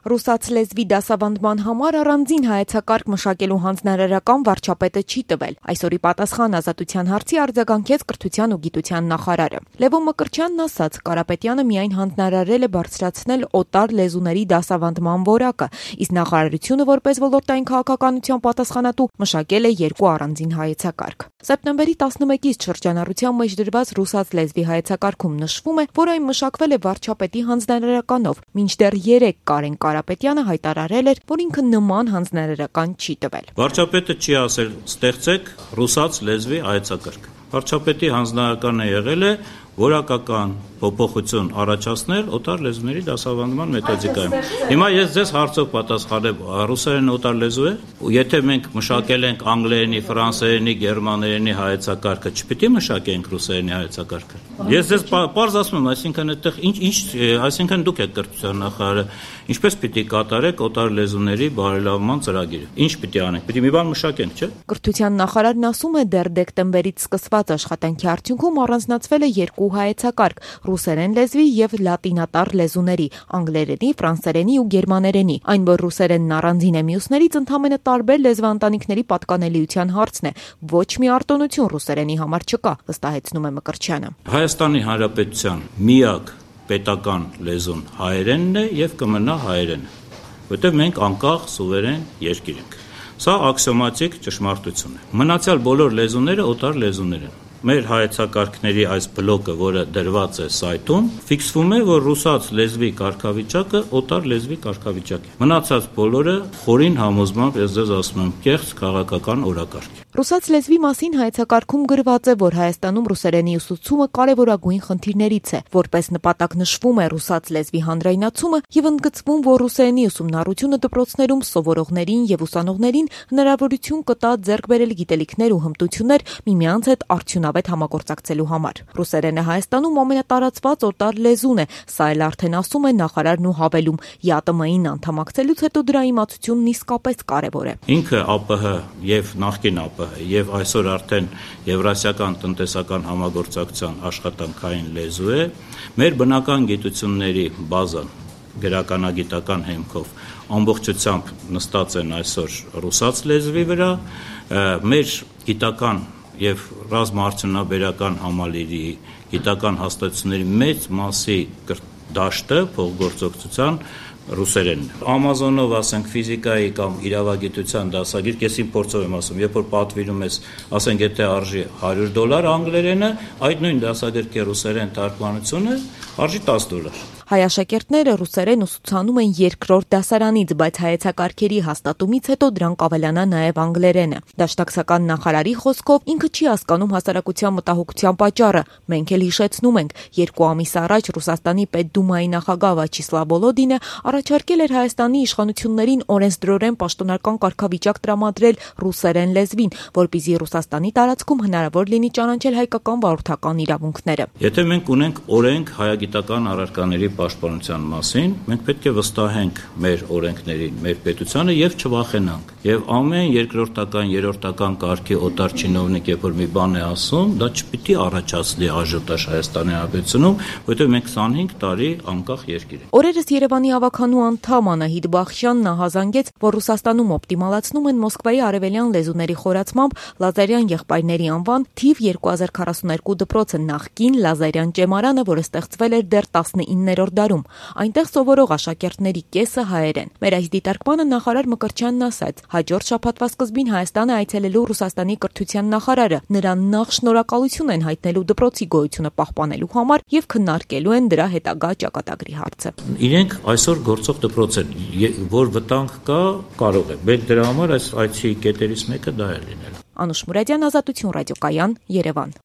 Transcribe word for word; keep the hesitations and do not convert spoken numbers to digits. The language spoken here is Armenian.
Ռուսաց լեզվի դասավանդման համար առանձին հայեցակարգ մշակելու հանձնարարական վարչապետը չի տվել։ Այսօրի պատասխան ազատության հարցի արձագանքեց կրթության ու գիտության նախարարը։ Լևոն Մկրտչյանն ասաց, Կարապետյանը միայն հանձնարարել է բարձրացնել օտար լեզուների դասավանդման որակը, իսկ նախարարությունը որպես ոլորտային քաղաքականության պատասխանատու մշակել է երկու առանձին հայեցակարգ։ Սեպտեմբերի տասնմեկից շրջանառության մեջ դրված ռուսաց լեզվի հայեցակարգում նշվում է, որ այն մշակվել է վարչապետի հանձնարարականով, մինչդեռ երեկ Կարեն Կարապետյանը հայտարարել էր, որ ինքը նման հանձնարարական չի տվել։ Վարչապետը չի ասել ստեղծեք ռուսաց լեզվի հայեցակարգ։ Վարչապետի հանձնարարականը եղել է որակական փոփոխություն առաջացնել օտար լեզուների դասավանդման մեթոդիկայում։ Հիմա ես ձեզ հարցով պատասխանեմ, ռուսերենը օտար լեզու է։ Եթե մենք մշակել ենք անգլերենի, ֆրանսերենի, գերմաներենի հայեցակարգը, չպիտի մշակենք ռուսերենի հայեցակարգը։ Ես ձեզ պարզ ասում եմ, այսինքն այդտեղ ինչ ինչ, այսինքն դուք եք կրթության նախարարը, ինչպես պիտի կատարեք օտար լեզուների բարելավման ծրագիրը։ Ինչ պիտի անենք։ Պիտի մի բան մշակենք, չէ՞։ Կրթության նախարարն ասում է, դեռ դեկտեմբերից սկսված աշխատանքի արդյունքում առանձնացվել է երկու հայեցակարգ՝ ռուսերեն լեզվի եւ լատինատար լեզուների, անգլերենի, ֆրանսերենի ու գերմաներենի։ Այն, որ ռուսերենն առանձին է մյուսներից, ընդհանրապես տարբեր լեզվաընտանիքների պատկանելիության հարցն է։ Ոչ մի արտոնություն ռուսերենի համար չկա, վստահեցնում է Մկրտչյանը։ Հայաստանի Հանրապետության միակ պետական լեզուն հայերենն է եւ կմնա հայերենը, որտեղ մենք անկախ սուվերեն երկիր ենք։ Սա աքսիոմատիկ ճշմարտություն է։ Մնացյալ բոլոր լեզուները օտար լեզուներ են։ Մեր հայեցակարգների այս բլոկը, որը դրված է սայթում, ֆիքսվում է, որ ռուսաց լեզվի կարգավիճակը օտար լեզվի կարգավիճակ է։ Մնացած բոլորը խորին համոզմամբ, ես ձեզ ասում եմ, կեղծ քաղաքական օրակարգ է։ Ռուսաց լեզվի մասին հայեցակարգում գրված է, որ Հայաստանում ռուսերենի ուսուցումը կարևորագույն խնդիրներից է, որպես նպատակ նշվում է ռուսաց լեզվի հանրայնացումը եւ ընդգծվում, որ ռուսերենի ուսումնառությունը դպրոցներում սովորողներին եւ ուսանողներին հնարավորություն կտա ձեռք բերել գիտելիքներ ու հմտություններ միմյանց հետ արդյունավետ համագործակցելու համար։ Ռուսերենը Հայաստանում ամենատարածված օտար լեզուն է, սա էլ արդեն ասում է նախարարն ու հավելում, ԵԱՏՄ-ին անդամակցելուց հետո դրա իմացությունն իսկապես կարևոր է։ Ինքը ԱՊՀ եւ նախկին ԱՊՀ եւ այսօր արդեն Եվրասիական տնտեսական համագործակցության աշխատանքային լեզու է, մեր բնական գիտությունների բազան գրականագիտական հեմքով ամբողջությամբ նստած են այսօր ռուսաց լեզվի վրա, մեր գիտական եւ ռազմաարդյունաբերական համալիրի գիտական հաստատությունների մեծ մասի դաշտը փոխգործակցության ռուսերենն է։ Ամազոնով, ասենք, ֆիզիկայի կամ իրավագիտության դասագիր, ես իմ փորձով եմ ասում, երբ որ պատվիրում ես, ասենք, եթե արժի հարյուր դոլար անգլերենը, այդ նույն դասագրքի ռուսերեն թարգմանությունը արժի տասը դոլար։ Հայ աշակերտները ռուսերեն ուսուցանում են երկրորդ դասարանից, բայց հայեցակարգերի հաստատումից հետո դրանք ավելանա նաև անգլերենը։ Դաշնակցական նախարարի խոսքով ինքը չի հասկանում հասարակության մտահոգության պատճառը։ Մենք էլ հիշեցնում ենք, երկու ամիս առաջ Ռուսաստանի Պետդումայի նախագահ Վաչիսլավ Վոլոդինը առաջարկել էր Հայաստանի իշխանություններին օրենսդրորեն պաշտոնական կարգավիճակ տրամադրել ռուսերեն լեզվին, որպեսզի Ռուսաստանի տարածքում հնարավոր լինի ճանաչել հայկական վարորդական իրավունքները։ Եթե մենք ունենք օրենք հայագիտական առարկաների պաշտպանության մասին, մենք պետք է վստահենք մեր օրենքներին, մեր պետությանը եւ չվախենանք։ Եվ ամեն երկրորդական, երրորդական կարգի օտար չինովնիկ, երբ որ մի բան է ասում, դա չպիտի առաջացնի աժիոտաժ Հայաստանի Հանրապետությունում, որովհետեւ մենք քսանհինգ տարի անկախ երկիր ենք։ Օրերս Երևանի ավականու անդամ Անահիտ Բախշյանն ահազանգեց, որ Ռուսաստանում օպտիմալացնում են Մոսկվայի արևելյան լեզուների խորացմամբ Լազարյան եղբայրների անվան թիվ երկու հազար քառասուններկու դպրոցը նախկին Լազարյան ճեմարանը, որը ստեղծվել էր դեռ տասնիններորդ դարում։ Այնտեղ սովորող աշակերտների կեսը հայերեն։ Մեր այս դիտարկմանը նախարար Մկրտչյանն ասաց. հաջորդ շաբաթվա սկզբին Հայաստան է այցելելու Ռուսաստանի կրթության նախարարը։ Նրան նախ շնորհակալություն են հայտնելու դպրոցի գոյությունը պահպանելու համար եւ քննարկելու են դրա հետագա ճակատագրի հարցը։ Իրենք այսօր գործող դպրոց են, որ վտանգ կա, կարող է։ Մենք դրա համար այս այցի կետերից մեկը դա է լինել։ Անուշ Մուրադյան, Ազատություն ռադիոկայան, Երևան։